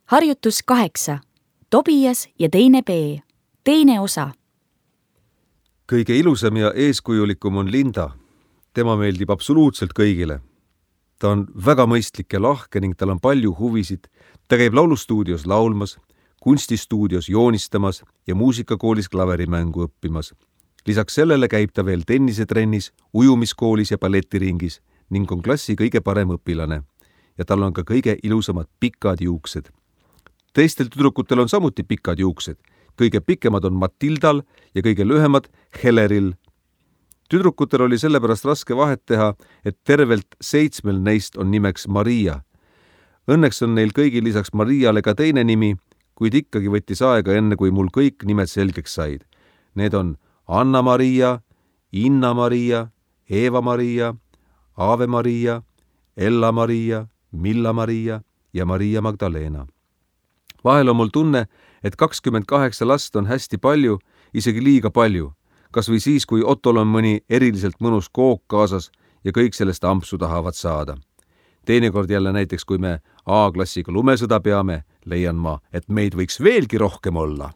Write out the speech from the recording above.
Harjutus 8. Tobias ja teine B. Teine osa. Kõige ilusam ja eeskujulikum on Linda. Tema meeldib absoluutselt kõigile. Ta on väga mõistlik ja lahke ning tal on palju huvisid. Ta käib laulustuudios laulmas, kunstistuudios joonistamas ja muusikakoolis klaverimängu õppimas. Lisaks sellele käib ta veel tennisetrennis, ujumiskoolis ja balletiringis ning on klassi kõige parem õpilane. Ja tal on ka kõige ilusamad pikad juuksed. Teistel tüdrukutel on samuti pikad juuksed. Kõige pikemad on Matildal ja kõige lühemad Heleril. Tüdrukutel oli sellepärast raske vahet teha, et tervelt 7 neist on nimeks Maria. Õnneks on neil kõigil lisaks Mariale ka teine nimi, kuid ikkagi võttis aega enne, kui mul kõik nimed selgeks said. Need on Anna-Maria, Inna-Maria, Eva-Maria, Ave-Maria, Ella-Maria, Milla-Maria ja Maria Magdalena. Vahel on mul tunne, et 28 last on hästi palju, isegi liiga palju. Kas või siis, kui Ottol on mõni eriliselt mõnus kook kaasas ja kõik sellest ampsu tahavad saada. Teinekord jälle näiteks, kui me A-klassiga lumesõda peame, leian ma, et meid võiks veelgi rohkem olla.